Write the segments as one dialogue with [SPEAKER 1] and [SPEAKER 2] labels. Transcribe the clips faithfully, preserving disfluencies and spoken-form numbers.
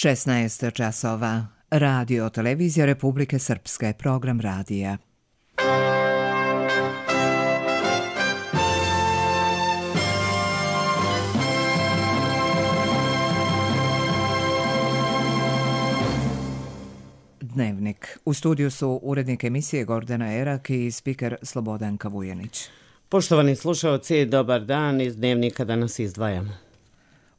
[SPEAKER 1] šesnaest časova. Radio Televizija Republike Srpske, program radija. Dnevnik. U studiju su urednik emisije Gordana Erak i spiker Slobodanka Vujanić.
[SPEAKER 2] Poštovani slušalci, dobar dan. Iz Dnevnika danas izdvajamo.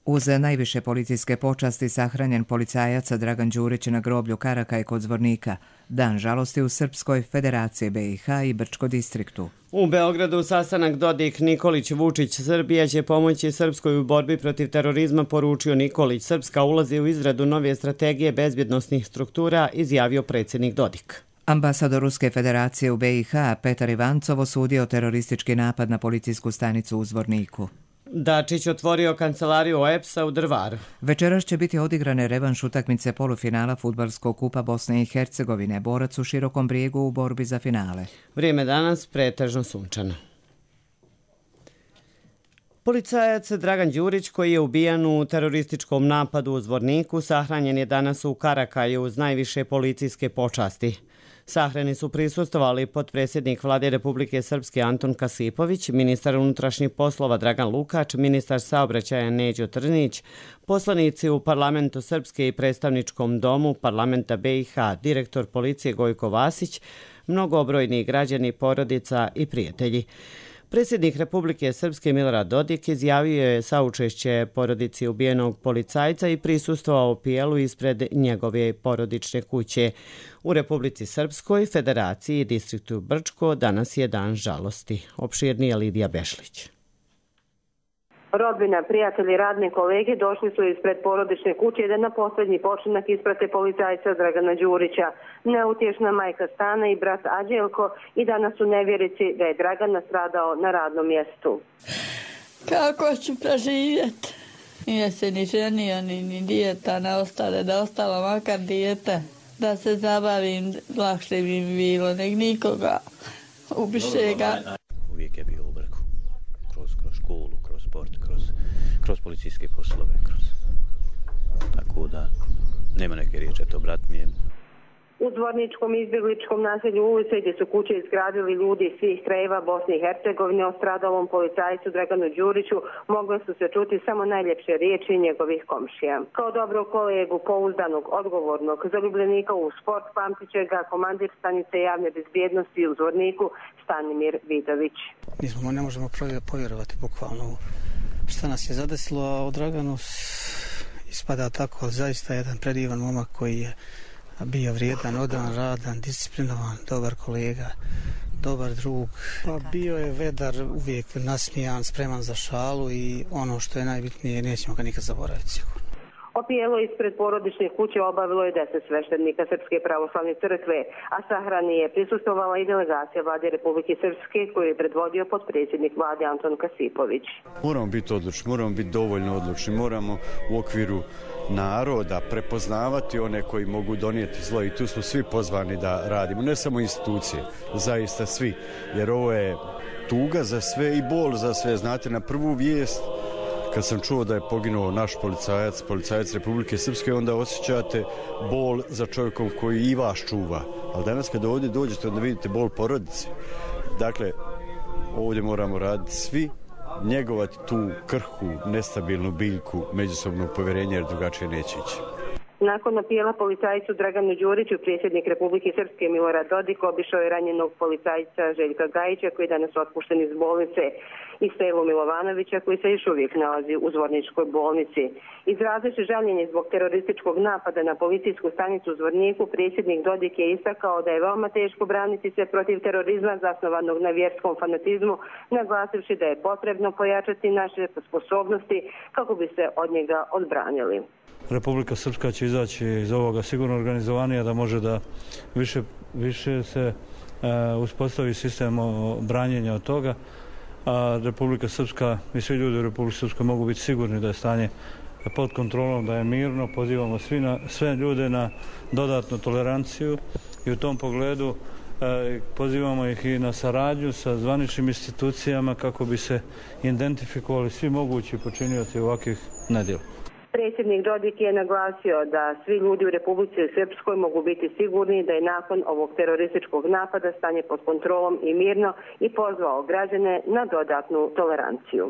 [SPEAKER 1] Uz najviše policijske počasti sahranjen policajac Dragan Đurić na groblju Karakaj kod Zvornika. Dan žalosti u Srpskoj Federaciji B i H i Brčko distriktu.
[SPEAKER 2] U Beogradu sastanak Dodik Nikolić Vučić. Srbija će pomoći Srpskoj u borbi protiv terorizma, poručio Nikolić. Srpska ulazi u izradu nove strategije bezbjednosnih struktura, izjavio predsjednik Dodik.
[SPEAKER 1] Ambasador Ruske Federacije u B i H Petar Ivancov osudio teroristički napad na policijsku stanicu u Zvorniku.
[SPEAKER 2] Dačić otvorio kancelariju O E P S-a u Drvaru.
[SPEAKER 1] Večeras će biti odigrane revanš utakmice polufinala Fudbalskog kupa Bosne i Hercegovine. Borac u Širokom Brijegu u borbi za finale.
[SPEAKER 2] Vrijeme danas pretežno sunčano. Policajac Dragan Đurić, koji je ubijan u terorističkom napadu u Zvorniku, sahranjen je danas u Karakaju uz najviše policijske počasti. Sahrani su prisustvovali potpredsjednik Vlade Republike Srpske Anton Kasipović, ministar unutrašnjih poslova Dragan Lukač, ministar saobraćaja Neđo Trnić, poslanici u Parlamentu Srpske i predstavničkom domu Parlamenta B i H, direktor policije Gojko Vasić, mnogobrojni građani, porodica i prijatelji. Predsjednik Republike Srpske Milorad Dodik izjavio je saučešće porodici ubijenog policajca i prisustvovao pijelu ispred njegove porodične kuće. U Republici Srpskoj, Federaciji i distriktu Brčko danas je dan žalosti. Opširnije Lidija Bešlić.
[SPEAKER 3] Rodbina, prijatelji, radni kolege došli su ispred porodične kuće da na posljednji počinak isprate policajca Dragana Đurića. Neutješna majka Stana i brat Ađelko i danas u nevjerici da je Dragan nastradao na radnom mjestu.
[SPEAKER 4] Kako ću preživjeti? Nije se ni ženio, ni, ni dijeta ne ostale, da ostalo makar dijete. Da se zabavim, lakše bi mi bilo, nek nikoga ubiše ga.
[SPEAKER 5] Uvijek je bio u Brku, kroz, kroz školu, kroz sport, kroz, kroz policijske poslove, kroz... Tako da, nema neke riječi, to brat mi je.
[SPEAKER 3] U Zvorničkom izbjegličkom naselju ulice gdje su kuće izgradili ljudi iz svih krajeva Bosne i Hercegovine o stradalom policajcu Draganu Đuriću mogle su se čuti samo najljepše riječi njegovih komšija. Kao dobrog kolegu, pouzdanog, odgovornog, zaljubljenika u sport pamtit će ga komandir stanice javne bezbjednosti u Zvorniku Stanimir Vidović.
[SPEAKER 6] Nismo, ne možemo povjerovati bukvalno šta nas je zadesilo, a o Draganu ispada tako, ali zaista jedan predivan momak koji je bio vrijedan, odan, radan, disciplinovan, dobar kolega, dobar drug. Pa bio je vedar, uvijek nasmijan, spreman za šalu i ono što je najbitnije, nećemo ga nikad zaboraviti sigurno.
[SPEAKER 3] Opijelo ispred porodičnih kuće obavilo je deset sveštenika Srpske pravoslavne crkve, a sahrani je prisustvovala i delegacija Vlade Republike Srpske koju je predvodio potpredsjednik Vlade Anton Kasipović.
[SPEAKER 7] Moramo biti odlučni, moramo biti dovoljno odlučni, moramo u okviru naroda prepoznavati one koji mogu donijeti zlo i tu smo svi pozvani da radimo, ne samo institucije, zaista svi, jer ovo je tuga za sve i bol za sve. Znate, na prvu vijest kad sam čuo da je poginuo naš policajac, policajac Republike Srpske, onda osjećate bol za čovjekom koji i vas čuva. Ali danas kada ovdje dođete, onda vidite bol porodice. Dakle, ovdje moramo raditi svi, njegovati tu krhku, nestabilnu biljku međusobnog povjerenja, jer drugačije neće ići.
[SPEAKER 3] Nakon opijela policajcu Draganu Đuriću, predsjednik Republike Srpske Milorad Dodik obišao je ranjenog policajca Željka Gajića koji je danas otpušten iz bolnice, i Stevu Milovanovića koji se još uvijek nalazi u Zvorničkoj bolnici. Izrazivši žaljenje zbog terorističkog napada na policijsku stanicu u Zvorniku, predsjednik Dodik je istakao da je veoma teško braniti se protiv terorizma zasnovanog na vjerskom fanatizmu, naglasivši da je potrebno pojačati naše sposobnosti kako bi se od njega odbranili.
[SPEAKER 8] Republika Srpska će izaći iz ovoga sigurno organizovanija, da može da više, više se e, uspostavi sistem branjenja od toga. A Republika Srpska i svi ljudi u Republike Srpskoj mogu biti sigurni da je stanje pod kontrolom, da je mirno. Pozivamo svi na, sve ljude na dodatnu toleranciju i u tom pogledu e, pozivamo ih i na saradnju sa zvaničnim institucijama kako bi se identifikovali svi mogući počinioci ovakvih nedjela.
[SPEAKER 3] Predsjednik Dodik je naglasio da svi ljudi u Republici Srpskoj mogu biti sigurni da je nakon ovog terorističkog napada stanje pod kontrolom i mirno i pozvao građane na dodatnu toleranciju.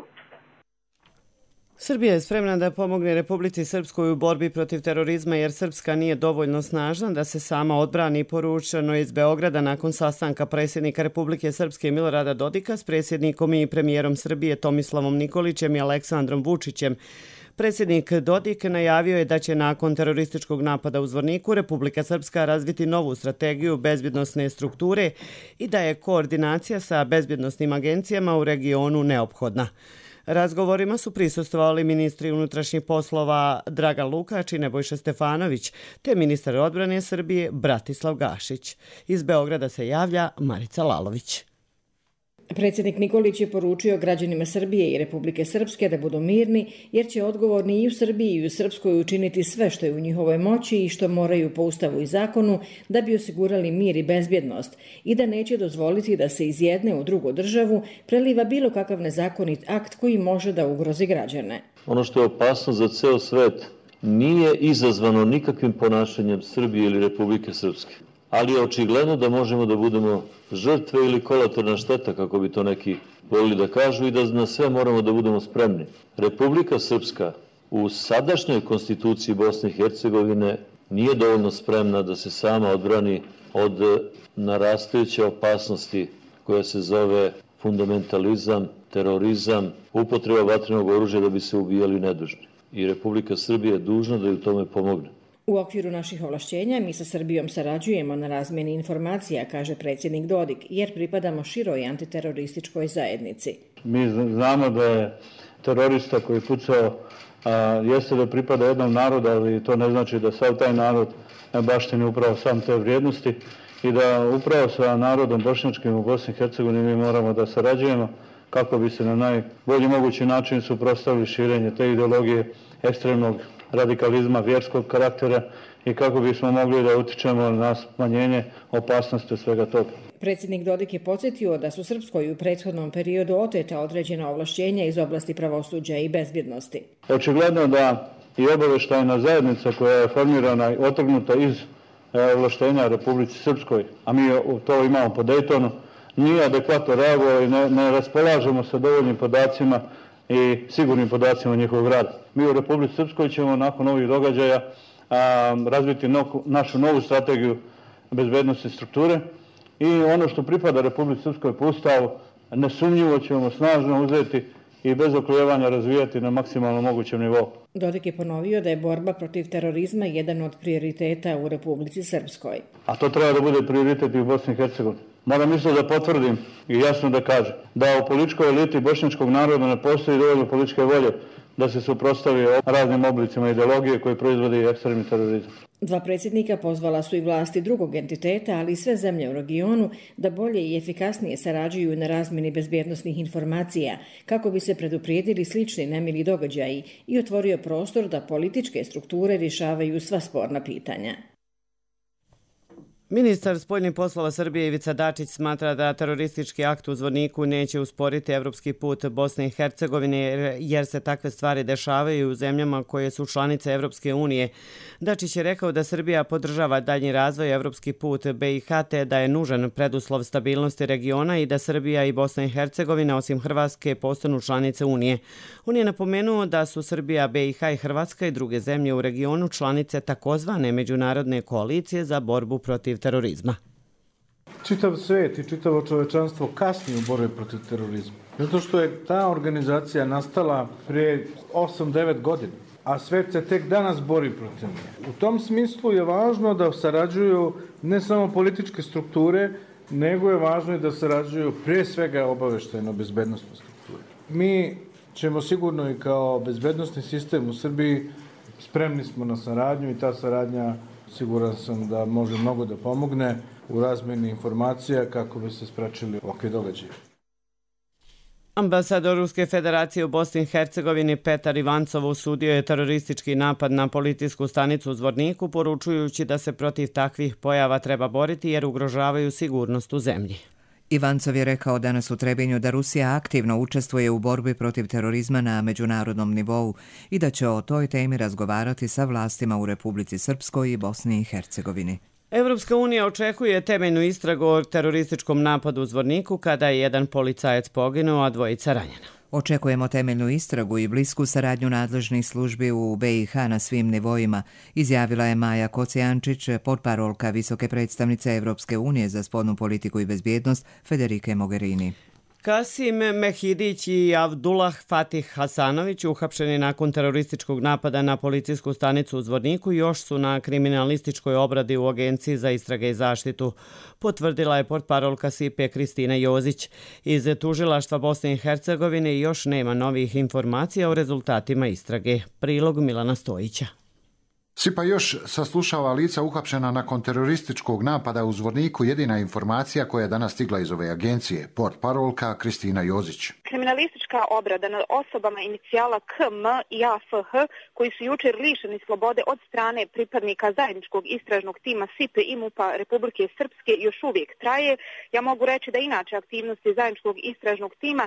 [SPEAKER 2] Srbija je spremna da pomogne Republici Srpskoj u borbi protiv terorizma jer Srpska nije dovoljno snažna da se sama odbrani, poručeno iz Beograda nakon sastanka predsjednika Republike Srpske Milorada Dodika s predsjednikom i premijerom Srbije Tomislavom Nikolićem i Aleksandrom Vučićem. Predsjednik Dodik najavio je da će nakon terorističkog napada u Zvorniku Republika Srpska razviti novu strategiju bezbjednosne strukture i da je koordinacija sa bezbjednosnim agencijama u regionu neophodna. Razgovorima su prisustvovali ministri unutrašnjih poslova Dragan Lukač i Nebojša Stefanović, te ministar odbrane Srbije Bratislav Gašić. Iz Beograda se javlja Marica Lalović.
[SPEAKER 9] Predsjednik Nikolić je poručio građanima Srbije i Republike Srpske da budu mirni, jer će odgovorni i u Srbiji i u Srpskoj učiniti sve što je u njihovoj moći i što moraju po ustavu i zakonu da bi osigurali mir i bezbjednost i da neće dozvoliti da se iz jedne u drugu državu preliva bilo kakav nezakonit akt koji može da ugrozi građane.
[SPEAKER 10] Ono što je opasno za ceo svet nije izazvano nikakvim ponašanjem Srbije ili Republike Srpske. Ali je očigledno da možemo da budemo žrtve ili kolateralna šteta, kako bi to neki volili da kažu, i da na sve moramo da budemo spremni. Republika Srpska u sadašnjoj konstituciji Bosne i Hercegovine nije dovoljno spremna da se sama odbrani od narastajuće opasnosti koja se zove fundamentalizam, terorizam, upotreba vatrenog oružja da bi se ubijali nedužni. I Republika Srbija je dužna da ju tome pomogne.
[SPEAKER 9] U okviru naših ovlašćenja mi sa Srbijom sarađujemo na razmjeni informacija, kaže predsjednik Dodik, jer pripadamo široj antiterorističkoj zajednici.
[SPEAKER 8] Mi znamo da je terorista koji pucao a, jeste da pripada jednom narodu, ali to ne znači da sav taj narod baštini upravo sam te vrijednosti i da upravo sa narodom bošnjačkim u Bosni i Hercegovini mi moramo da sarađujemo kako bi se na najbolji mogući način suprotstavili širenje te ideologije ekstremnog radikalizma vjerskog karaktera i kako bismo mogli da utičemo na smanjenje opasnosti od svega toga.
[SPEAKER 9] Predsjednik Dodik je podsjetio da su Srpskoj u prethodnom periodu oteta određena ovlašćenja iz oblasti pravosuđa i bezbjednosti.
[SPEAKER 8] Očigledno da i obavještajna zajednica koja je formirana i otrgnuta iz ovlaštenja Republici Srpskoj, a mi to imamo po Dejtonu, nije adekvatno reagovao i ne, ne raspolažemo sa dovoljnim podacima i sigurnim podacima njihovog rada. Mi u Republici Srpskoj ćemo nakon ovih događaja a, razviti no, našu novu strategiju bezbednosti strukture i ono što pripada Republici Srpskoj po Ustavu nesumnjivo ćemo snažno uzeti i bez oklijevanja razvijati na maksimalno mogućem nivou.
[SPEAKER 9] Dodik je ponovio da je borba protiv terorizma jedan od prioriteta u Republici Srpskoj.
[SPEAKER 8] A to treba da bude prioritet i u Bosni i Hercegovini. Moram isto da potvrdim i jasno da kažem da u političkoj eliti bošnjačkog naroda ne postoji dovoljno političke volje da se suprotstavi raznim oblicima ideologije koje proizvodi ekstremni terorizam.
[SPEAKER 9] Dva predsjednika pozvala su i vlasti drugog entiteta, ali i sve zemlje u regionu da bolje i efikasnije sarađuju na razmjeni bezbjednosnih informacija kako bi se preduprijedili slični nemili događaji i otvorio prostor da političke strukture rješavaju sva sporna pitanja.
[SPEAKER 2] Ministar spoljnih poslova Srbije Ivica Dačić smatra da teroristički akt u Zvorniku neće usporiti evropski put Bosne i Hercegovine jer se takve stvari dešavaju u zemljama koje su članice Evropske unije. Dačić je rekao da Srbija podržava daljnji razvoj evropski put B i H te da je nužan preduslov stabilnosti regiona i da Srbija i Bosna i Hercegovina osim Hrvatske postanu članice Unije. On je napomenuo da su Srbija, B i H i Hrvatska i druge zemlje u regionu članice takozvane međunarodne koalicije za borbu protiv terorizma.
[SPEAKER 11] Čitav svijet i čitavo čovečanstvo kasni u borbi protiv terorizma. Zato što je ta organizacija nastala prije osam devet godina, a svijet se tek danas bori protiv nje. U tom smislu je važno da sarađuju ne samo političke strukture, nego je važno i da sarađuju prije svega obavještajno-bezbednosne strukture. Mi ćemo sigurno i kao bezbednosni sistem u Srbiji spremni smo na saradnju i ta saradnja siguran sam da može mnogo da pomogne u razmjeni informacija kako bi se sprečili ovakve događaje.
[SPEAKER 2] Ambasador Ruske federacije u Bosni i Hercegovini Petar Ivancov osudio je teroristički napad na policijsku stanicu u Zvorniku, poručujući da se protiv takvih pojava treba boriti jer ugrožavaju sigurnost u zemlji.
[SPEAKER 1] Ivancov je rekao danas u Trebinju da Rusija aktivno učestvuje u borbi protiv terorizma na međunarodnom nivou i da će o toj temi razgovarati sa vlastima u Republici Srpskoj i Bosni i Hercegovini.
[SPEAKER 2] Evropska unija očekuje temeljnu istragu o terorističkom napadu u Zvorniku kada je jedan policajac poginuo, a dvojica ranjena.
[SPEAKER 1] Očekujemo temeljnu istragu i blisku saradnju nadležnih službi u B i H na svim nivoima, izjavila je Maja Kocijančić, potparolka visoke predstavnice Evropske unije za spoljnu politiku i bezbjednost Federike Mogherini.
[SPEAKER 2] Kasim Mehidić i Avdullah Fatih Hasanović, uhapšeni nakon terorističkog napada na policijsku stanicu u Zvorniku, još su na kriminalističkoj obradi u Agenciji za istrage i zaštitu, potvrdila je portparolka S I P E Kristina Jozić. Iz tužilaštva Bosne i Hercegovine još nema novih informacija o rezultatima istrage. Prilog Milana Stojića.
[SPEAKER 12] S I P A još saslušava lica uhapšena nakon terorističkog napada u Zvorniku. Jedina informacija koja je danas stigla iz ove agencije, portparolka Kristina Jozić.
[SPEAKER 13] Kriminalistička obrada nad osobama inicijala K M i A F H, koji su jučer lišeni slobode od strane pripadnika zajedničkog istražnog tima S I P E i MUP-a Republike Srpske, još uvijek traje. Ja mogu reći da inače aktivnosti zajedničkog istražnog tima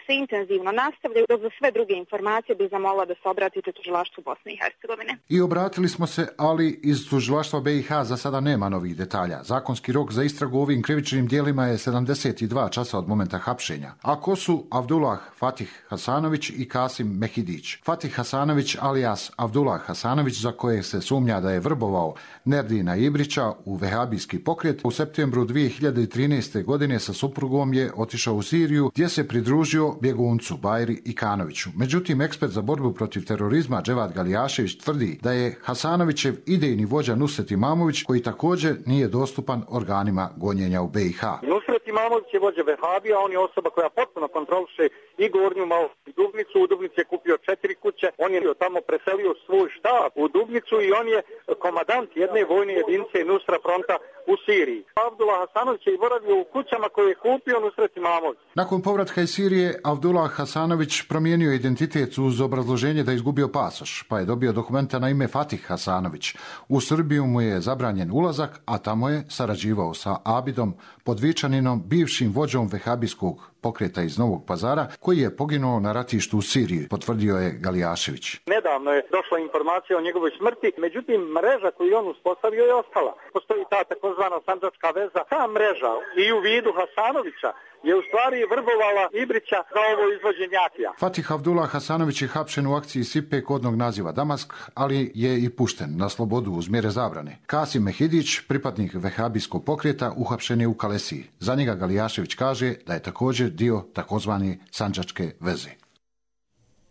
[SPEAKER 13] se intenzivno nastavljaju, dok za sve druge informacije bih zamolila da se obratite tužilaštvu Bosne i Hercegovine.
[SPEAKER 12] I obratili smo se, ali iz tužilaštva B i H za sada nema novih detalja. Zakonski rok za istragu u ovim krivičnim dijelima je sedamdeset dva časa od momenta hapšenja. A ko su Avdullah Fatih Hasanović i Kasim Mehidić? Fatih Hasanović alias Avdullah Hasanović, za koje se sumnja da je vrbovao Nerdina Ibrića u vehabijski pokret, u septembru dvije hiljade trinaeste. godine sa suprugom je otišao u Siriju, gdje se pridružio bjeguncu Bajri Ikanoviću. Međutim, ekspert za borbu protiv terorizma Dževad Galijašević tvrdi da je Hasanovićev idejni vođa Nusret Imamović, koji također nije dostupan organima gonjenja u B i H.
[SPEAKER 14] Nusret Imamović je vođa vehabija, on je osoba koja potpuno kontroliše i Gornju Malu i Dubnicu. U Dubnici je kupio četiri kuće, on je tamo preselio svoj štab u Dubnicu i on je komadant jedne vojne jedinice Nusra fronta u Siriji. Avdullah Hasanović je boravio u kućama koje je kupio Nusret Imamović.
[SPEAKER 12] Nakon povratka iz Sirije, Avdullah Hasanović promijenio identitet uz obrazloženje da je izgubio pasoš, pa je dobio dokumenta na ime Fatih Hasanović. U Srbiju mu je zabranjen ulazak, a tamo je sarađivao sa Abidom Podvičaninom, bivšim vođom vehabijskog pokreta iz Novog Pazara, koji je poginuo na ratištu u Siriji, potvrdio je Galijašević.
[SPEAKER 14] Nedavno je došla informacija o njegovoj smrti, međutim mreža koju on uspostavio je ostala. Postoji ta takozvana sandžačka veza. Ta mreža i u vidu Hasanovića je u stvari vrbovala Ibrića za ovo izvođenje akcija.
[SPEAKER 12] Fatih Avdullah Hasanović je hapšen u akciji S I P E kodnog naziva Damask, ali je i pušten na slobodu uz mjere zabrane. Kasim Mehidić, pripadnik vehabijskog pokreta, uhapšen je u Kalesiji. Za njega Galijašević kaže da je također dio takozvani sandžačke veze.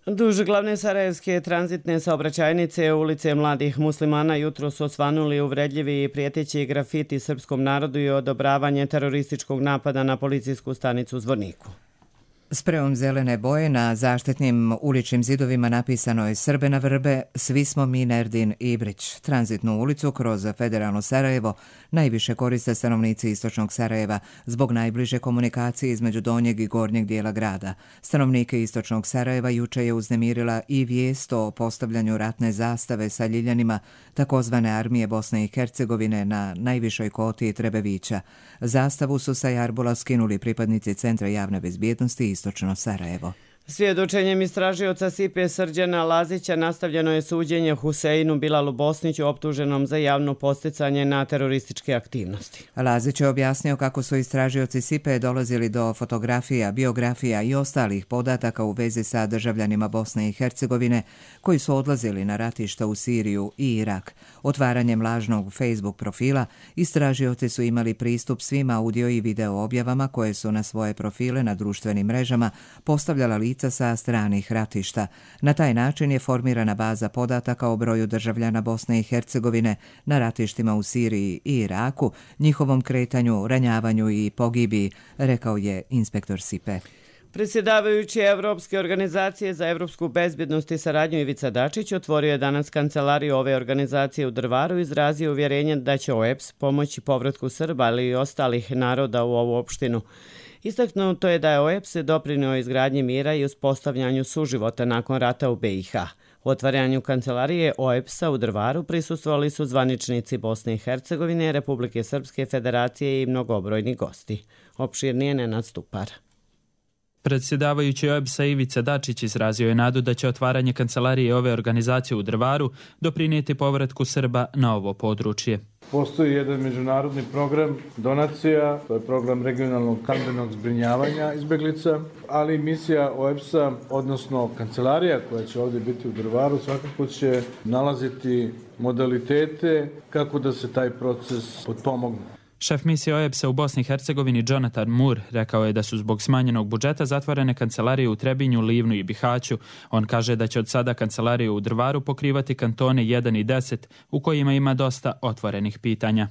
[SPEAKER 2] Duž glavne sarajevske tranzitne saobraćajnice ulice mladih muslimana jutro su osvanuli uvredljivi i prijeteći grafiti srpskom narodu i odobravanje terorističkog napada na policijsku stanicu u Zvorniku.
[SPEAKER 1] Sprejom zelene boje na zaštitnim uličnim zidovima napisano je Srbe na vrbe, svi smo mi Nerdin Ibrić. Tranzitnu ulicu kroz federalno Sarajevo najviše koriste stanovnici istočnog Sarajeva zbog najbliže komunikacije između donjeg i gornjeg dijela grada. Stanovnike istočnog Sarajeva juče je uznemirila i vijest o postavljanju ratne zastave sa ljiljanima takozvane armije Bosne i Hercegovine na najvišoj koti Trebevića. Zastavu su sa Jarbula skinuli pripadnici Centra javne bezbjednosti istočno Sarajevo.
[SPEAKER 2] Svjedočenjem istražioca S I P E Srđana Lazića nastavljeno je suđenje Huseinu Bilalu Bosniću optuženom za javno posticanje na terorističke aktivnosti.
[SPEAKER 1] Lazić je objasnio kako su istražioci S I P E dolazili do fotografija, biografija i ostalih podataka u vezi sa državljanima Bosne i Hercegovine koji su odlazili na ratišta u Siriju i Irak. Otvaranjem lažnog Facebook profila istražioci su imali pristup svim audio i video objavama koje su na svoje profile na društvenim mrežama postavljala lica sa stranih ratišta. Na taj način je formirana baza podataka o broju državljana Bosne i Hercegovine na ratištima u Siriji i Iraku, njihovom kretanju, ranjavanju i pogibiji, rekao je inspektor S I P E.
[SPEAKER 2] Predsjedavajući Evropske organizacije za evropsku bezbjednost i saradnju Ivica Dačić otvorio je danas kancelariju ove organizacije u Drvaru i izrazio uvjerenje da će O E B S pomoći povratku Srba, ali i ostalih naroda u ovu opštinu. Istaknuto je da je O E B S doprinio izgradnji mira i uspostavljanju suživota nakon rata u B i H. U otvaranju kancelarije O E B S-a u Drvaru prisustvovali su zvaničnici Bosne i Hercegovine, Republike Srpske, Federacije i mnogobrojni gosti. Opširnije Nenad Stupar.
[SPEAKER 15] Predsjedavajući O E B S-a Ivica Dačić izrazio je nadu da će otvaranje kancelarije ove organizacije u Drvaru doprinijeti povratku Srba na ovo područje.
[SPEAKER 11] Postoji jedan međunarodni program donacija, to je program regionalnog stambenog zbrinjavanja izbjeglica, ali misija O E B S-a, odnosno kancelarija koja će ovdje biti u Drvaru, svakako će nalaziti modalitete kako da se taj proces potpomogne.
[SPEAKER 15] Šef misije O E B S-a u Bosni i Hercegovini Jonathan Moore rekao je da su zbog smanjenog budžeta zatvorene kancelarije u Trebinju, Livnu i Bihaću. On kaže da će od sada kancelariju u Drvaru pokrivati kantone jedan i deset u kojima ima dosta otvorenih pitanja.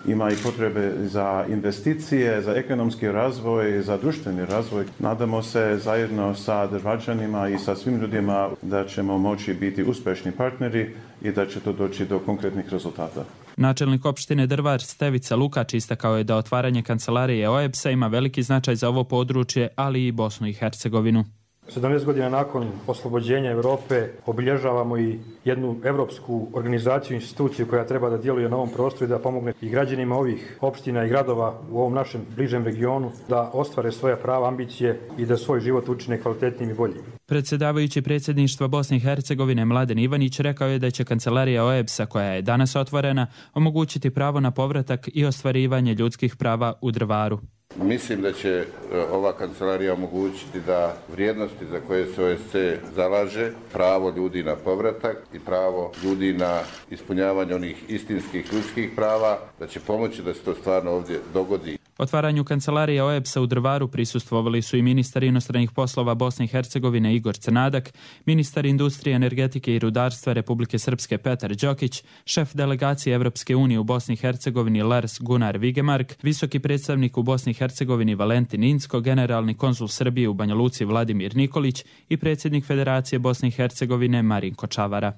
[SPEAKER 16] Ima i potrebe za investicije, za ekonomski razvoj, za društveni razvoj. Nadamo se zajedno sa Drvačanima i sa svim ljudima da ćemo moći biti uspješni partneri i da će to doći do konkretnih rezultata.
[SPEAKER 15] Načelnik opštine Drvar Stevica Lukač istakao je da otvaranje kancelarije O E B S-a ima veliki značaj za ovo područje, ali i Bosnu i Hercegovinu.
[SPEAKER 17] sedamnaest godina nakon oslobođenja Europe obilježavamo i jednu evropsku organizaciju, instituciju koja treba da djeluje na ovom prostoru i da pomogne i građanima ovih opština i gradova u ovom našem bližem regionu da ostvare svoja prava, ambicije i da svoj život učine kvalitetnijim i boljim.
[SPEAKER 15] Predsjedavajući predsjedništva Bosne i Hercegovine Mladen Ivanić rekao je da će kancelarija O E B S-a koja je danas otvorena omogućiti pravo na povratak i ostvarivanje ljudskih prava u Drvaru.
[SPEAKER 18] Mislim da će ova kancelarija omogućiti da vrijednosti za koje se O E B S zalaže, pravo ljudi na povratak i pravo ljudi na ispunjavanje onih istinskih ljudskih prava, da će pomoći da se to stvarno ovdje dogodi.
[SPEAKER 15] Otvaranju kancelarije O E B S-a u Drvaru prisustvovali su i ministar inostranih poslova Bosne i Hercegovine Igor Crnadak, ministar industrije, energetike i rudarstva Republike Srpske Petar Đokić, šef delegacije Evropske unije u Bosni i Hercegovini Lars Gunnar Vigemark, visoki predstavnik u Bosni i Hercegovini Valentin Incko, generalni konzul Srbije u Banja Luci Vladimir Nikolić i predsjednik Federacije Bosne i Hercegovine Marinko Čavara.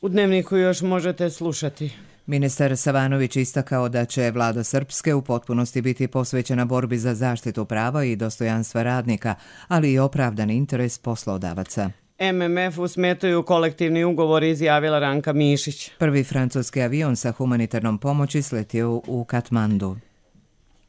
[SPEAKER 2] U Dnevniku još možete slušati.
[SPEAKER 1] Ministar Savanović istakao da će vlada Srpske u potpunosti biti posvećena borbi za zaštitu prava i dostojanstva radnika, ali i opravdan interes poslodavaca.
[SPEAKER 2] M M F-u smetaju kolektivni ugovor, izjavila Ranka Mišić.
[SPEAKER 1] Prvi francuski avion sa humanitarnom pomoći sletio u Katmandu.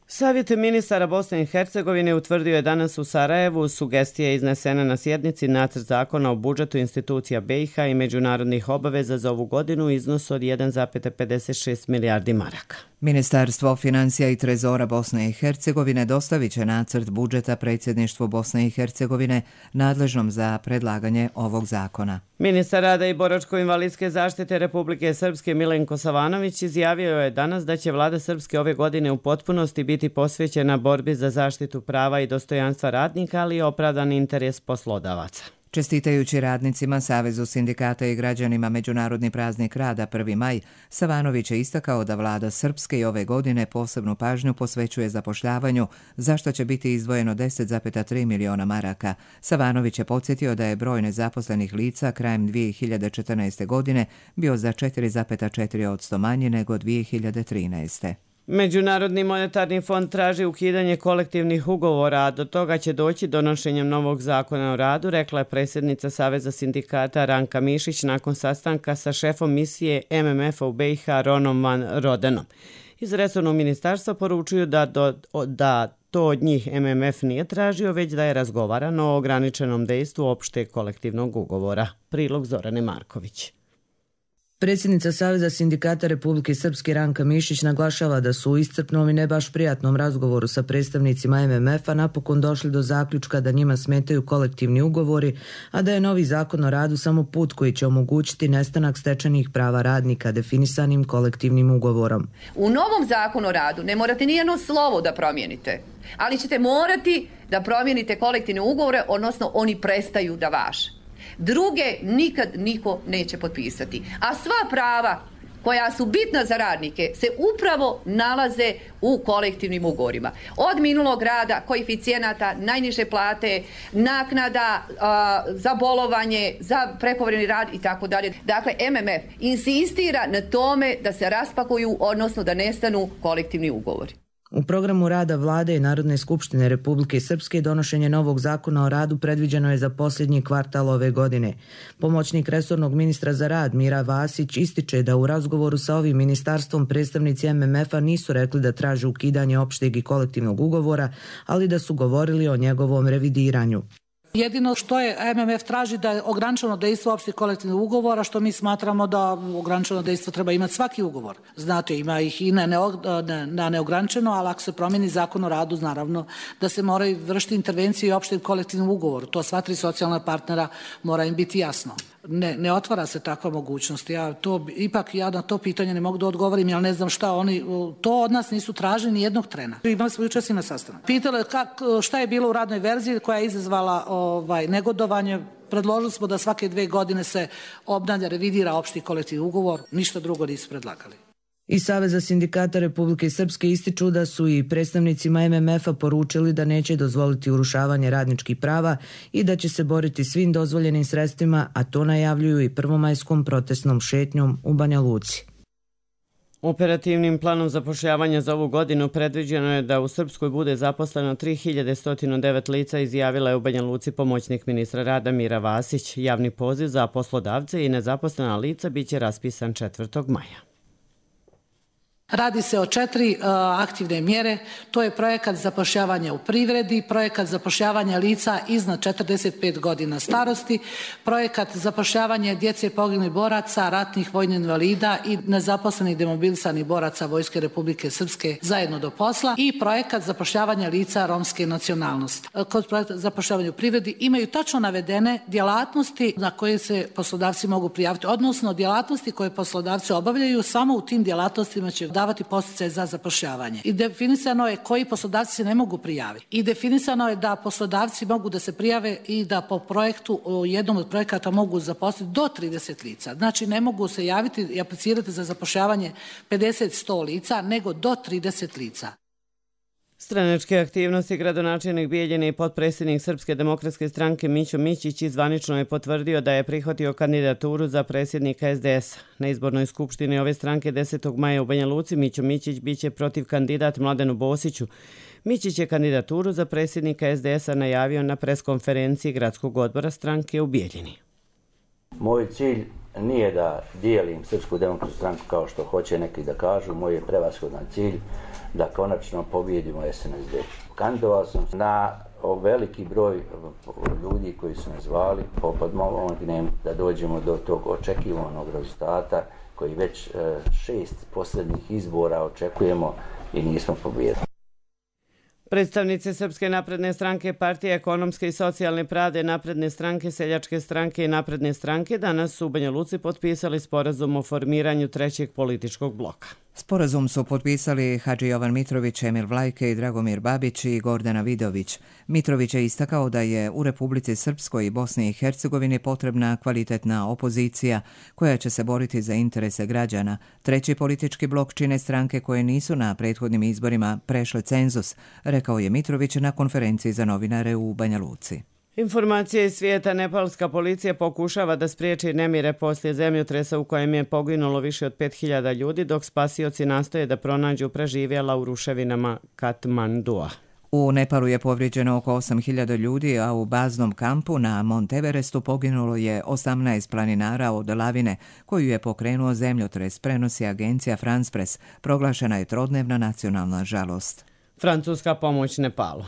[SPEAKER 2] Savjet ministara Bosne i Hercegovine utvrdio je danas u Sarajevu sugestije iznesene na sjednici nacrt zakona o budžetu institucija B i H i međunarodnih obaveza za ovu godinu u iznosu od jedan zarez pedeset šest milijardi maraka.
[SPEAKER 1] Ministarstvo financija i trezora Bosne i Hercegovine dostavit će nacrt budžeta predsjedništvu Bosne i Hercegovine nadležnom za predlaganje ovog zakona.
[SPEAKER 2] Ministar rada i boračko-invalidske zaštite Republike Srpske Milenko Savanović izjavio je danas da će vlada Srpske ove godine u potpunosti biti posvećena borbi za zaštitu prava i dostojanstva radnika, ali i opravdan interes poslodavaca.
[SPEAKER 1] Čestitajući radnicima, Savezu sindikata i građanima Međunarodni praznik rada prvi maj, Savanović je istakao da vlada Srpske i ove godine posebnu pažnju posvećuje zapošljavanju, za što će biti izdvojeno deset zarez tri miliona maraka. Savanović je podsjetio da je broj nezaposlenih lica krajem dvije hiljade četrnaeste. godine bio za četiri zarez četiri posto manji nego dvije hiljade trinaeste.
[SPEAKER 2] Međunarodni monetarni fond traži ukidanje kolektivnih ugovora, a do toga će doći donošenjem novog zakona o radu, rekla je predsjednica Saveza sindikata Ranka Mišić nakon sastanka sa šefom misije M M F-a u B i H Ronom van Rodenom. Iz resornog ministarstva poručuju da, do, da to od njih M M F nije tražio, već da je razgovarano o ograničenom dejstvu opšteg kolektivnog ugovora. Prilog Zorane Marković.
[SPEAKER 19] Predsjednica Saveza sindikata Republike Srpske Ranka Mišić naglašava da su u iscrpnom i ne baš prijatnom razgovoru sa predstavnicima M M F-a napokon došli do zaključka da njima smetaju kolektivni ugovori, a da je novi zakon o radu samo put koji će omogućiti nestanak stečenih prava radnika definisanim kolektivnim ugovorom.
[SPEAKER 20] U novom zakonu o radu ne morate nijedno slovo da promijenite, ali ćete morati da promijenite kolektivne ugovore, odnosno oni prestaju da važe. Druge nikad niko neće potpisati. A sva prava koja su bitna za radnike se upravo nalaze u kolektivnim ugovorima. Od minulog rada, koeficijenata, najniže plate, naknada a, za bolovanje, za prekovremeni rad i tako dalje. Dakle, M M F insistira na tome da se raspakuju, odnosno da nestanu kolektivni ugovori.
[SPEAKER 19] U programu rada Vlade i Narodne skupštine Republike Srpske donošenje novog zakona o radu predviđeno je za posljednji kvartal ove godine. Pomoćnik resornog ministra za rad Mira Vasić ističe da u razgovoru sa ovim ministarstvom predstavnici M M F-a nisu rekli da traže ukidanje opšteg i kolektivnog ugovora, ali da su govorili o njegovom revidiranju.
[SPEAKER 21] Jedino što je M M F traži da je ograničeno dejstvo opštih kolektivnih ugovora, što mi smatramo da ograničeno dejstvo treba imati svaki ugovor. Znate, ima ih i na, ne, na neograničeno, ali ako se promijeni zakon o radu, naravno da se moraju vršiti intervencije i opštem kolektivnom ugovoru. To sva tri socijalna partnera mora im biti jasno. Ne, ne otvara se takva mogućnost. Ja to, ipak ja na to pitanje ne mogu da odgovorim, jer ne znam šta oni, to od nas nisu tražili ni jednog trena. Imali smo jučer na sastanak. Pitali kak, šta je bilo u radnoj verziji koja je izazvala ovaj, negodovanje. Predložili smo da svake dve godine se obnavlja, revidira opšti kolektivni ugovor, ništa drugo nisu predlagali.
[SPEAKER 19] Iz Saveza sindikata Republike Srpske ističu da su i predstavnicima M M F-a poručili da neće dozvoliti urušavanje radničkih prava i da će se boriti svim dozvoljenim sredstvima, a to najavljuju i prvomajskom protestnom šetnjom u Banja Luci.
[SPEAKER 2] Operativnim planom zapošljavanja za ovu godinu predviđeno je da u Srpskoj bude zaposleno tri hiljade sto devet lica, izjavila je u Banja Luci pomoćnik ministra rada Mira Vasić. Javni poziv za poslodavce i nezaposlena lica biće raspisan četvrtog maja.
[SPEAKER 21] Radi se o četiri uh, aktivne mjere, to je projekat zapošljavanja u privredi, projekat zapošljavanja lica iznad četrdeset pet godina starosti, projekat zapošljavanja djece poginulih boraca, ratnih vojnih invalida i nezaposlenih demobilisanih boraca Vojske Republike Srpske zajedno do posla i projekat zapošljavanja lica romske nacionalnosti. Kod projekta zapošljavanja u privredi imaju tačno navedene djelatnosti na koje se poslodavci mogu prijaviti, odnosno djelatnosti koje poslodavci obavljaju, samo u tim djelatnostima će davati posticaje za zapošljavanje. I definisano je koji poslodavci se ne mogu prijaviti. I definisano je da poslodavci mogu da se prijave i da po projektu, u jednom od projekata mogu zaposliti do trideset lica. Znači ne mogu se javiti i aplicirati za zapošljavanje pedeset do sto lica, nego do trideset lica.
[SPEAKER 2] Stranačke aktivnosti gradonačelnik Bijeljine i potpredsjednik Srpske demokratske stranke Mićo Mićić zvanično je potvrdio da je prihvatio kandidaturu za predsjednika S D S. Na izbornoj skupštini ove stranke desetog maja u Banja Luci Mićo Mićić biće protiv kandidat Mladenu Bosiću. Mićić je kandidaturu za predsjednika S D S-a najavio na preskonferenciji gradskog odbora stranke u Bijeljini.
[SPEAKER 22] Moj cilj nije da dijelim Srpsku demokratsku stranku kao što hoće neki da kažu. Moj je prevashodan cilj da konačno pobijedimo S N S D. Kandidovao sam na veliki broj ljudi koji su me zvali, pomognem da dođemo do tog očekivanog rezultata koji već šest posljednjih izbora očekujemo i nismo pobijedili.
[SPEAKER 2] Predstavnici Srpske napredne stranke, Partije ekonomske i socijalne pravde, Napredne stranke, Seljačke stranke i Napredne stranke danas su u Banja Luci potpisali sporazum o formiranju trećeg političkog bloka.
[SPEAKER 1] Sporazum su potpisali Hadži Jovan Mitrović, Emil Vlajke i Dragomir Babić i Gordana Vidović. Mitrović je istakao da je u Republici Srpskoj i Bosni i Hercegovini potrebna kvalitetna opozicija koja će se boriti za interese građana. Treći politički blok čine stranke koje nisu na prethodnim izborima prešle cenzus, rekao je Mitrović na konferenciji za novinare u Banja Luci.
[SPEAKER 2] Informacije iz svijeta. Nepalska policija pokušava da spriječi nemire poslije zemljotresa u kojem je poginulo više od pet hiljada ljudi, dok spasioci nastoje da pronađu preživjela u ruševinama Katmandua.
[SPEAKER 1] U Nepalu je povrijeđeno oko osam hiljada ljudi, a u baznom kampu na Mont Everestu poginulo je osamnaest planinara od lavine koju je pokrenuo zemljotres, prenosi agencija France Press. Proglašena je trodnevna nacionalna žalost.
[SPEAKER 2] Francuska pomoć Nepalu.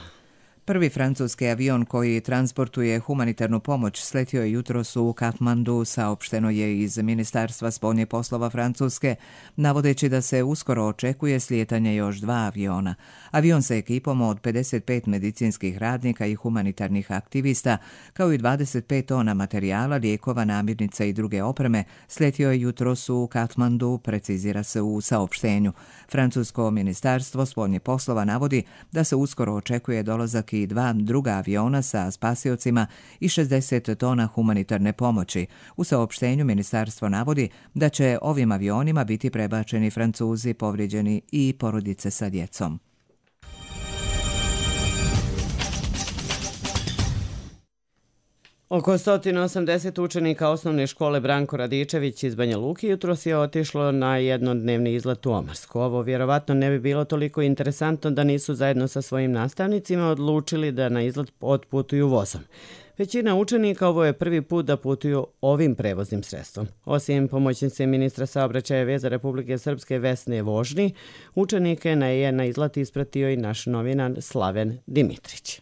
[SPEAKER 1] Prvi francuski avion koji transportuje humanitarnu pomoć sletio je jutros u Katmandu, saopšteno je iz Ministarstva spoljnih poslova Francuske, navodeći da se uskoro očekuje slijetanje još dva aviona. Avion sa ekipom od pedeset pet medicinskih radnika i humanitarnih aktivista, kao i dvadeset pet tona materijala, lijekova, namirnica i druge opreme, sletio je jutros u Katmandu, precizira se u saopštenju. Francusko ministarstvo spoljnih poslova navodi da se uskoro očekuje dolazak i dva druga aviona sa spasiocima i šezdeset tona humanitarne pomoći. U saopštenju ministarstvo navodi da će ovim avionima biti prebačeni Francuzi, povrijeđeni i porodice sa djecom.
[SPEAKER 2] Oko sto osamdeset učenika osnovne škole Branko Radičević iz Banja Luke jutros je otišlo na jednodnevni izlet u Omarsku. Ovo vjerovatno ne bi bilo toliko interesantno da nisu zajedno sa svojim nastavnicima odlučili da na izlet otputuju vozom. Većina učenika ovo je prvi put da putuju ovim prevoznim sredstvom. Osim pomoćnice ministra saobraćaja i veza Republike Srpske Vesne Vožni, učenike je na izlet ispratio i naš novinar Slaven Dimitrić.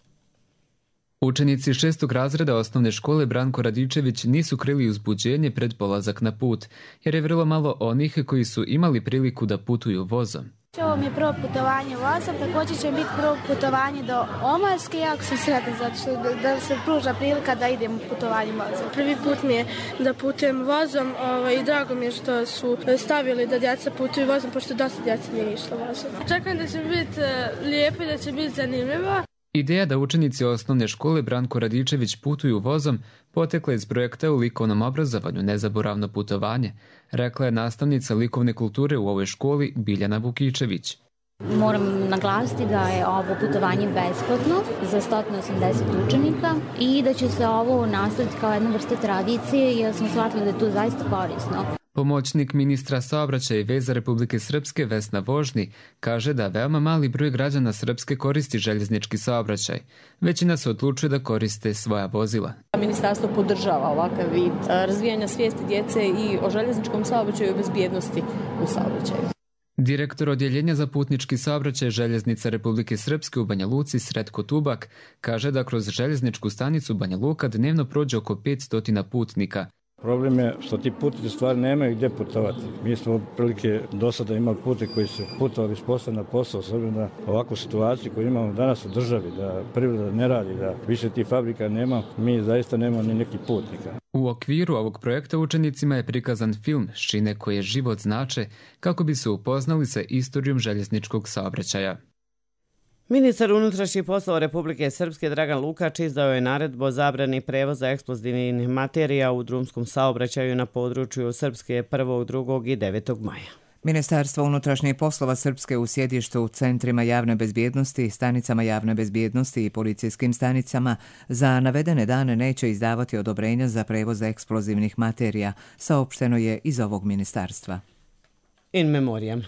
[SPEAKER 4] Učenici šestog razreda osnovne škole Branko Radičević nisu krili uzbuđenje pred polazak na put, jer je vrlo malo onih koji su imali priliku da putuju vozom.
[SPEAKER 5] Ovo mi je prvo putovanje vozom, također će biti prvo putovanje do Omarske, jako sam sretna zato što da, da se pruža prilika da idem putovanjem vozom.
[SPEAKER 23] Prvi put mi je da putujem vozom ovaj, i drago mi je što su stavili da djeca putuju vozom, pošto dosta djeca nije išlo vozom. Čekam da će biti lijepo i da će biti zanimljivo.
[SPEAKER 4] Ideja da učenici osnovne škole Branko Radičević putuju vozom potekla iz projekta u likovnom obrazovanju Nezaboravno putovanje, rekla je nastavnica likovne kulture u ovoj školi Biljana Vukičević.
[SPEAKER 24] Moram naglasiti da je ovo putovanje besplatno za sto osamdeset učenika i da će se ovo nastaviti kao jedna vrsta tradicije jer smo shvatili da je to zaista korisno.
[SPEAKER 4] Pomoćnik ministra saobraćaja i veza Republike Srpske Vesna Vožni kaže da veoma mali broj građana Srpske koristi željeznički saobraćaj. Većina se odlučuje da koriste svoja vozila.
[SPEAKER 25] Ministarstvo podržava ovakav vid razvijanja svijesti djece i o željezničkom saobraćaju i bezbjednosti u saobraćaju.
[SPEAKER 4] Direktor odjeljenja za putnički saobraćaj Željeznica Republike Srpske u Banja Luci Sretko Tubak kaže da kroz željezničku stanicu Banja Luka dnevno prođe oko petsto putnika.
[SPEAKER 26] Problem je što ti putnici stvari nemaju gdje putovati. Mi smo prilike do sada imali putnike koji su putovali s posla na posao, s obzirom na ovakvu situaciju koju imamo danas u državi, da privreda ne radi, da više tih fabrika nema, mi zaista nemamo ni nekih putnika.
[SPEAKER 4] U okviru ovog projekta učenicima je prikazan film Šine koje život znače kako bi se upoznali sa istorijom željezničkog saobraćaja.
[SPEAKER 2] Ministar unutrašnjih poslova Republike Srpske Dragan Lukač izdao je naredbu o zabrani prevoza eksplozivnih materija u drumskom saobraćaju na području Srpske prvog, drugog i devetog maja.
[SPEAKER 1] Ministarstvo unutrašnjih poslova Srpske u sjedištu u centrima javne bezbjednosti, stanicama javne bezbjednosti i policijskim stanicama za navedene dane neće izdavati odobrenja za prevoz eksplozivnih materija, saopšteno je iz ovog ministarstva.
[SPEAKER 2] In memoriam.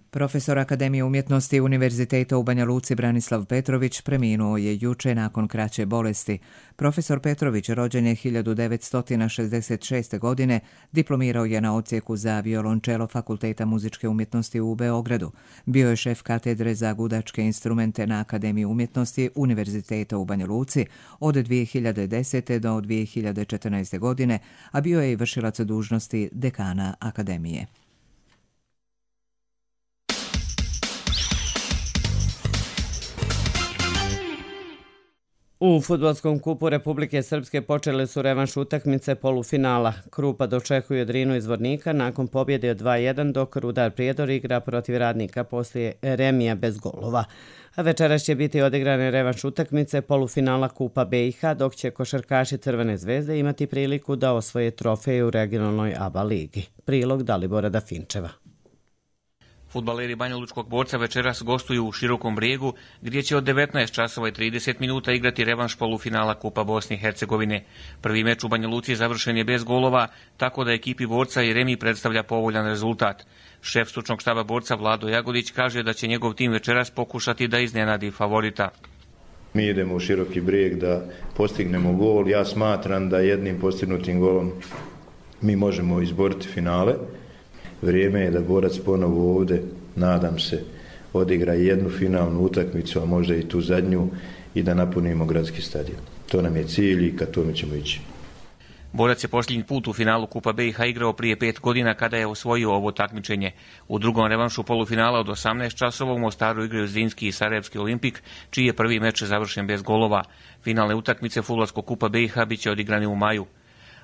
[SPEAKER 1] Profesor Akademije umjetnosti Univerziteta u Banja Luci Branislav Petrović preminuo je juče nakon kraće bolesti. Profesor Petrović rođen je hiljadu devetsto šezdeset šeste. godine, diplomirao je na odsjeku za violončelo Fakulteta muzičke umjetnosti u Beogradu. Bio je šef katedre za gudačke instrumente na Akademiji umjetnosti Univerziteta u Banja Luci od dvije hiljade desete. do dvije hiljade četrnaeste. godine, a bio je i vršilac dužnosti dekana Akademije.
[SPEAKER 2] U fudbalskom kupu Republike Srpske počele su revanš utakmice polufinala. Krupa dočekuje Drinu iz Zvornika nakon pobjede od dva jedan, dok Rudar Prijedor igra protiv Radnika poslije remija bez golova. A večeras će biti odigrane revanš utakmice polufinala Kupa B i H, dok će košarkaši Crvene zvezde imati priliku da osvoje trofej u regionalnoj A B A ligi. Prilog Dalibora Dafinčeva.
[SPEAKER 27] Fudbaleri banjalučkog Borca večeras gostuju u Širokom Brijegu, gdje će od devetnaest časova i trideset minuta igrati revanš polufinala Kupa Bosne i Hercegovine. Prvi meč u Banja Luci završen je bez golova, tako da ekipi Borca i remi predstavlja povoljan rezultat. Šef stručnog štaba Borca Vlado Jagodić kaže da će njegov tim večeras pokušati da iznenadi favorita.
[SPEAKER 28] Mi idemo u Široki Brijeg da postignemo gol. Ja smatram da jednim postignutim golom mi možemo izboriti finale. Vrijeme je da Borac ponovo ovdje, nadam se, odigra jednu finalnu utakmicu, a možda i tu zadnju, i da napunimo gradski stadion. To nam je cilj i ka tome ćemo ići.
[SPEAKER 27] Borac je posljednji put u finalu Kupa B i H igrao prije pet godina kada je osvojio ovo takmičenje. U drugom revanšu polufinala od osamnaest časova u Mostaru igraju Zrinski i Sarajevski Olimpik, čiji je prvi meč završen bez golova. Finalne utakmice fudbalskog Kupa B i H biće odigrani u maju.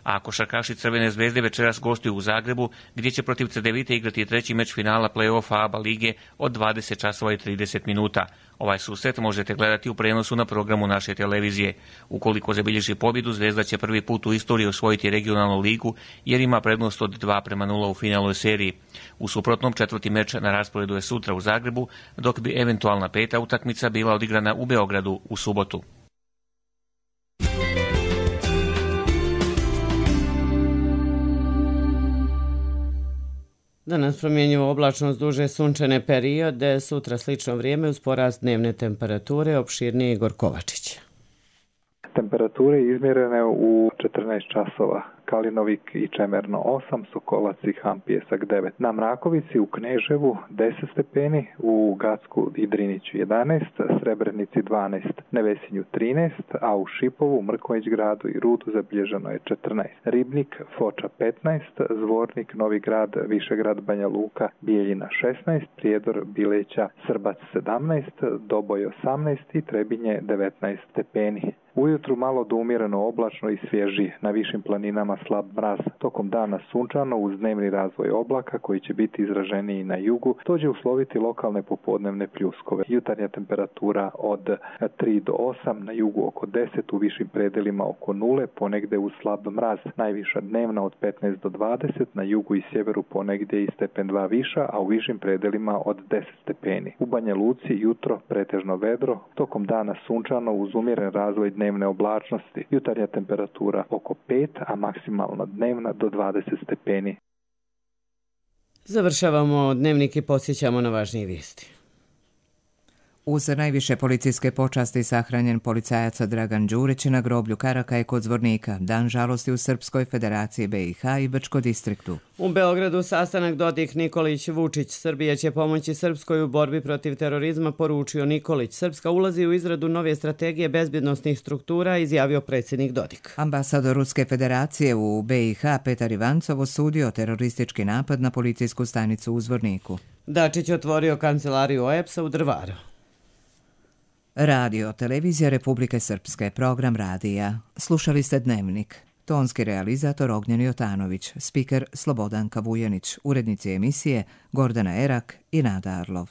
[SPEAKER 27] A košarkaši Crvene zvezde večeras gostuju u Zagrebu, gdje će protiv Cedevite igrati treći meč finala play-offa A B A lige od dvadeset časova i trideset minuta. Ovaj susret možete gledati u prenosu na programu naše televizije. Ukoliko zabilježi pobjedu, Zvezda će prvi put u istoriji osvojiti regionalnu ligu, jer ima prednost od dva prema nula u finalnoj seriji. U suprotnom, četvrti meč na rasporedu je sutra u Zagrebu, dok bi eventualna peta utakmica bila odigrana u Beogradu u subotu.
[SPEAKER 2] Danas promjenjivo oblačno s duže sunčane periode, sutra slično vrijeme uz porast dnevne temperature, opširnije Igor Kovačić.
[SPEAKER 3] Temperature izmjerene u četrnaest časova. Kalinovik i Čemerno osam, Sokolac i Ham Pjesak devet. Na Mrakovici u Kneževu deset stepeni, u Gacku i Driniću jedanaest, Srebrenici dvanaest, Nevesinju trinaest, a u Šipovu, Mrkonjić gradu i Rudu zabilježeno je četrnaest. Ribnik, Foča petnaest, Zvornik, Novi grad, Višegrad, Banja Luka, Bijeljina šesnaest, Prijedor, Bileća, Srbac sedamnaest, Doboj osamnaest i Trebinje devetnaest stepeni. Ujutru malo do umjereno oblačno i svježi, na višim planinama slab mraz. Tokom dana sunčano uz dnevni razvoj oblaka koji će biti izraženiji na jugu, to će usloviti lokalne popodnevne pljuskove. Jutarnja temperatura od tri do osam, na jugu oko deset, u višim predelima oko nule, ponegde uz slab mraz. Najviša dnevna od petnaest do dvadeset, na jugu i sjeveru ponegdje i stepen dva viša, a u višim predelima od deset stepeni. U Banja Luci jutro pretežno vedro, tokom dana sunčano uz umjeren razvoj dnevne oblačnosti. Jutarnja temperatura oko pet, a maksimalna dnevna do dvadeset stepeni.
[SPEAKER 2] Završavamo dnevnik i podsjećamo na važnije vijesti.
[SPEAKER 1] Uz najviše policijske počasti sahranjen policajac Dragan Đurić na groblju Karakaj kod Zvornika. Dan žalosti u Srpskoj federaciji B i H i Brčko distriktu.
[SPEAKER 2] U Beogradu sastanak Dodik Nikolić Vučić. Srbija će pomoći Srpskoj u borbi protiv terorizma, poručio Nikolić. Srpska ulazi u izradu nove strategije bezbjednosnih struktura, izjavio predsjednik Dodik.
[SPEAKER 1] Ambasador Ruske federacije u B i H Petar Ivancov osudio teroristički napad na policijsku stanicu u Zvorniku.
[SPEAKER 2] Dačić otvorio kancelariju O E B S-a u Drvaru.
[SPEAKER 1] Radio, televizija Republike Srpske, program radija. Slušali ste Dnevnik. Tonski realizator Ognjen Jotanović, spiker Slobodan Kavujanić, urednici emisije Gordana Erak i Nada Arlov.